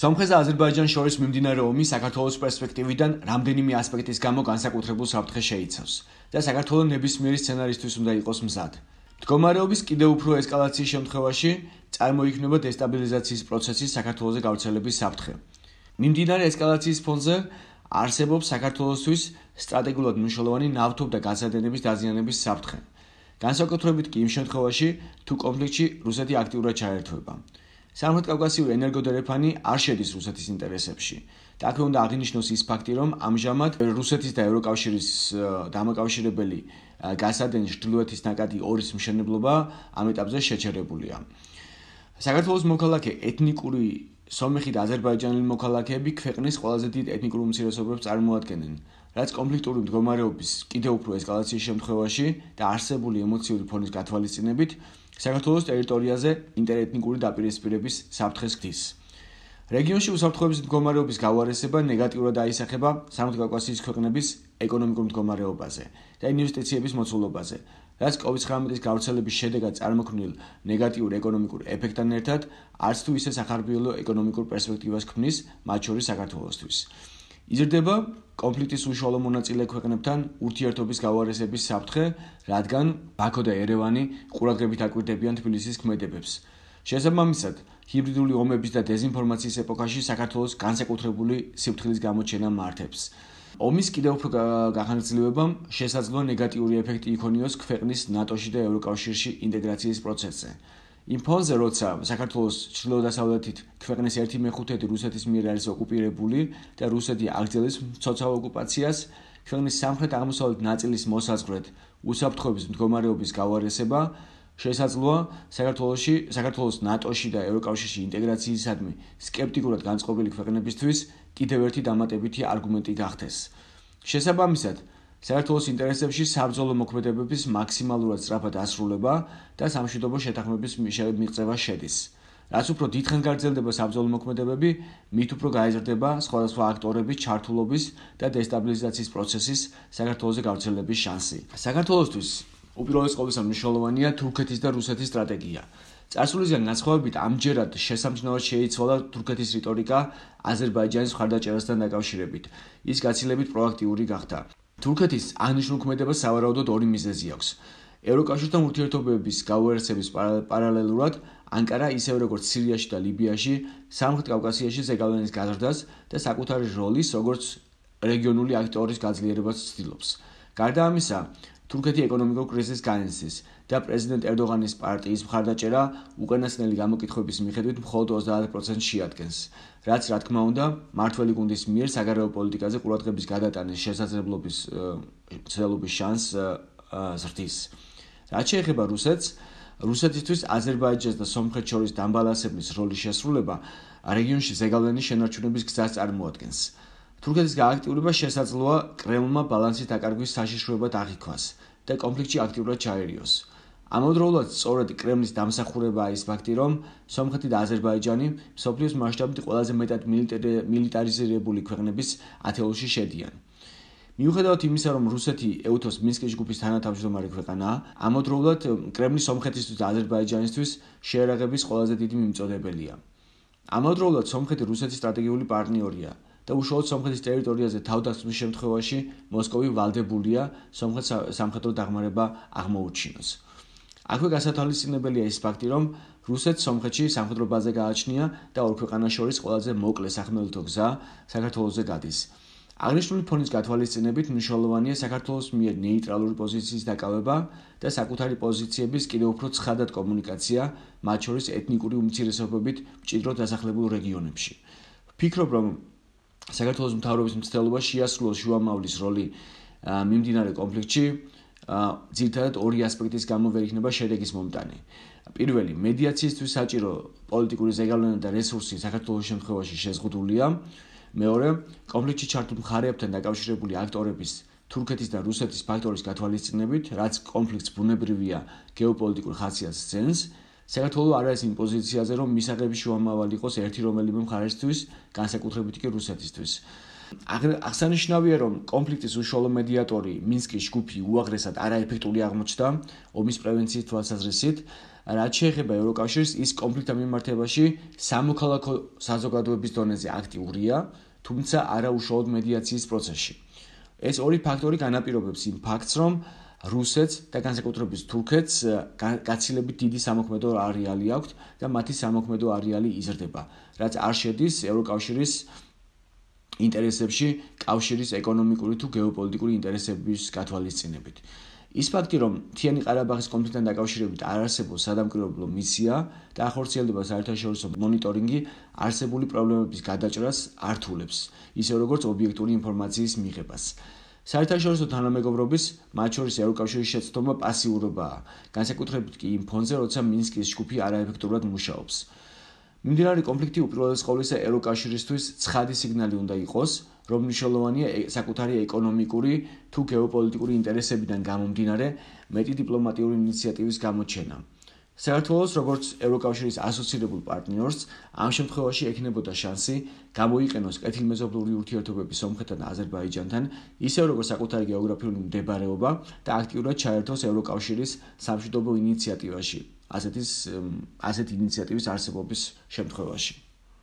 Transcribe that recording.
სომხეთს და აზერბაიჯანს შორის მიმდინარე ომი საქართველოს პერსპექტივიდან რამდენიმე ასპექტის გამო განსაკუთრებულ საფრთხეს შეიცავს და საქართველოს ნებისმიერი სცენარისთვის უნდა იყოს მზად. მდგომარეობის კიდევ უფრო ესკალაციის შემთხვევაში წარმოიქმნება დესტაბილიზაციის პროცესის საქართველოზე გავრცელების საფრთხე. მიმდინარე ესკალაციის ფონზე არსებობს საქართველოსთვის სტრატეგიულად მნიშვნელოვანი ნავთობ და გაზადენების დაზიანების საფრთხე. განსაკუთრებით კი იმ შემთხვევაში, თუ კონფლიქტში რუსეთი აქტიურად ჩაერთვება. სამხრეთ-კავკასიური ენერგოდერეფანი არ შედის რუსეთის ინტერესებში. და აქვე უნდა აღინიშნოს ის ფაქტი, რომ ამჟამად რუსეთის და ევროკავშირის დამაკავშირებელი გაზადენის ჩრდილოეთის ნაკადი ორის მშენებლობა ამ ეტაპზე შეჩერებულია. საქართველოს მოქალაქე ეთნიკური სომეხი და აზერბაიჯანელი მოქალაქეები ქვეყნის ყველაზე დიდ ეთნიკურ უმცირესობებს წარმოადგენენ, რაც კონფლიქტური მდგომარეობის კიდევ უფრო ესკალაციის შემთხვევაში და არსებული ემოციური ფონის გათვალისწინებით საქართველოს ტერიტორიაზე ინტერეთნიკური დაპირისპირების საფრთხეს ხდის. რეგიონში უსაფრთხოების მდგომარეობის გავარესება ნეგატიურად აისახება სამხრეთ-კავკასიის ქვეყნების ეკონომიკურ მდგომარეობაზე და ინვესტიციების მოცულობაზე, რაც COVID-19 გავრცელების შედეგად წარმოქმნილ ნეგატიურ ეკონომიკურ ეფექტთან ერთად არც თუ ისე სახარბიელო ეკონომიკურ პერსპექტივას ქმნის, მათ შორის საქართველოსთვის. იზრდება კონფლიქტის უშუალო მონაწილე ქვეყნებთან ურთიერთობის გავარესების საფრთხე, რადგან ბაქო და ერევანი ყურადღებით აკვირდებიან თბილისის ქმედებებს. შესაბამისად, ჰიბრიდული ომების და დეზინფორმაციის ეპოქაში საქართველოს განსაკუთრებული სიფრთხილის გამოჩენა მართებს. ომის კიდევ უფრო გახანგრძლივებამ შესაძლოა ნეგატიური ეფექტი იქონიოს ქვეყნის ნატოში და ევროკავშირში ინტეგრაციის პროცესზე. იმ ფონზე, როცა საქართველოს ჩრდილო-დასავლეთით ქვეყნის 1/5 რუსეთის მიერ არის ოკუპირებული და რუსეთი აგრძელებს მცოცავ ოკუპაციას, ქვეყნის სამხრეთ-აღმოსავლეთ ნაწილის მოსაზღვრედ უსაფრთხოების მდგომარეობის გავარესება შესაძლოა საქართველოს ნატოში და ევროკავშირში ინტეგრაციისადმი სკეპტიკურად განწყობილი ქვეყნებისთვის კიდევ ერთი დამატებითი არგუმენტი გახდეს. შესაბამისად, საქართველოს ინტერესებში საბრძოლო მოქმედებების მაქსიმალურად სწრაფად დასრულება და სამშვიდობო შეთანხმების მიღწევა შედის. რაც უფრო დიდხანს გაგრძელდება საბრძოლო მოქმედებები, მით უფრო გაიზრდება სხვადასხვა აქტორების ჩართულობის და დესტაბილიზაციის პროცესის საქართველოზე გავრცელების შანსი. საქართველოსთვის უპირველეს ყოვლისა მნიშვნელოვანია თურქეთის და რუსეთის სტრატეგია. წარსულისგან განსხვავებით, ამჯერად შესამჩნევად შეიცვალა თურქეთის რიტორიკა აზერბაიჯანის მხარდაჭერასთან დაკავშირებით. ის გაცილებით პროაქტიული გახდა. თურქეთის აღნიშნულ ქმედებას სავარაუდოდ ორი მიზეზი აქვს. ევროკავშირთან ურთიერთობების გავარესების პარალელურად ანკარა ისევე როგორც სირიაში და ლიბიაში სამხრეთ კავკასიაში ზეგავლენის გაზრდას და საკუთარი როლის როგორც რეგიონული აქტორის გაძლიერებას ცდილობს. გარდა ამისა, თურქეთი ეკონომიკურ კრიზისს განიცდის და პრეზიდენტ ერდოღანის პარტიის მხარდაჭერა უკანასკნელი გამოკითხვების მიხედვით მხოლოდ 30%-ს შეადგენს, რაც რა თქმა უნდა მმართველი გუნდის მიერ საგარეო პოლიტიკაზე ყურადღების გადატანის შესაძლებლობის ცდილობის შანსს ზრდის. რაც შეეხება რუსეთს, რუსეთისთვის აზერბაიჯანს და სომხეთს შორის დამბალანსებლის როლის შესრულება რეგიონში ზეგავლენის შენარჩუნების გზას წარმოადგენს. თურქეთის გააქტიურება შესაძლოა კრემლმა ბალანსის დაკარგვის საშიშროებად აღიქვას და კონფლიქტში აქტიურად ჩაერიოს. ამავდროულად, სწორედ კრემლის დამსახურებაა ის ფაქტი, რომ სომხეთი და აზერბაიჯანი მსოფლიოს მასშტაბით ყველაზე მეტად მილიტარიზირებული ქვეყნების ათეულში შედიან. მიუხედავად იმისა, რომ რუსეთი ეუთოს მინსკის ჯგუფის თანათავმჯდომარე ქვეყანაა, ამავდროულად კრემლი სომხეთისთვის და აზერბაიჯანისთვის შეერაღების ყველაზე დიდი მიმწოდებელია. ამავდროულად სომხეთი რუსეთის სტრატეგიული პარტნიორია და უშუალოდ სომხეთის ტერიტორიაზე თავდასხმის შემთხვევაში მოსკოვი ვალდებულია სომხეთს სამხედრო დახმარება აღმოუჩინოს. აქვე გასათვალისწინებელია ის ფაქტი, რომ რუსეთს სომხეთში სამხედრო ბაზა გააჩნია და ორ ქვეყანას შორის ყველაზე მოკლე სახმელეთო გზა საქართველოზე გადის. აღნიშნული ფონის გათვალისწინებით მნიშვნელოვანია საქართველოს მიერ ნეიტრალური პოზიციის დაკავება და საკუთარი პოზიციების კიდევ უფრო ცხადად კომუნიკაცია, მათ შორის ეთნიკური უმცირესობებით მჭიდროდ დასახლებულ რეგიონებში. ვფიქრობ, რომ საქართველოს მთავრობის მცდელობა შეასრულოს შუამავლის როლი მიმდინარე კონფლიქტში, ძირითადად ორი ასპექტის გამო ვერ იქნება შედეგის მომტანი. პირველი, მედიაციისთვის საჭირო პოლიტიკური ზეგავლენა და რესურსი საქართველოს შემთხვევაში შეზღუდულია. მეორე, კონფლიქტში ჩართულ მხარეებთან დაკავშირებული აქტორების თურქეთის და რუსეთის ფაქტორის გათვალისწინებით, რაც კონფლიქტს ბუნებრივია გეოპოლიტიკურ ხასიათს ძენს, საქართველო არ არის იმ პოზიციაზე, რომ მისაღები შუამავალი იყოს ერთი რომელიმე მხარესთვის, განსაკუთრებით კი რუსეთისთვის. აღსანიშნავია, რომ კონფლიქტის უშუალო მედიატორი მინსკის ჯგუფი უაღრესად არაეფექტური აღმოჩნდა ომის პრევენციის თვალსაზრისით, რაც შეეხება ევროკავშირს, ის კონფლიქტთან მიმართებაში სამოქალაქო საზოგადოების დონეზე აქტიურია, თუმცა არა უშუალოდ მედიაციის პროცესში. ეს ორი ფაქტორი განაპირობებს იმ ფაქტს, რომ რუსეთს და განსაკუთრებით თურქეთს გაცილებით დიდი სამოქმედო არეალი აქვთ და მათი სამოქმედო არეალი იზრდება, რაც არ შედის ევროკავშირის ინტერესებში კავშირის ეკონომიკური თუ გეოპოლიტიკური ინტერესების გათვალისწინებით. ის ფაქტი, რომ მთიანი ყარაბაღის კონფლიქტთან დაკავშირებით არ არსებობს სადამკვირვებლო მისია და ახორციელდება საერთაშორისო მონიტორინგი, არსებული პრობლემების გადაჭრას ართულებს, ისე როგორც ობიექტური ინფორმაციის მიღებას. საერთაშორისო თანამეგობრობის, მათ შორის ევროკავშირის შეცდომა პასიურობაა, განსაკუთრებით კი იმ ფონზე, როცა მინსკის ჯგუფი არაეფექტურად მუშაობს. მიმდინარე კონფლიქტი უპირველეს ყოვლისა ევროკავშირისთვის ცხადი სიგნალი უნდა იყოს, რომ მნიშვნელოვანია საკუთარი ეკონომიკური თუ გეოპოლიტიკური ინტერესებიდან გამომდინარე მეტი დიპლომატიური ინიციატივის გამოჩენა. საქართველოს როგორც ევროკავშირის ასოცირებულ პარტნიორს ამ შემთხვევაში ექნებოდა შანსი გამოიყენოს კეთილმეზობლური ურთიერთობები სომხეთთან და აზერბაიჯანთან, ისევ როგორც საკუთარი გეოგრაფიული მდებარეობა და აქტიურად ჩაერთოს ევროკავშირის სამშვიდობო ინიციატივაში, ასეთი ინიციატივის არსებობის შემთხვევაში.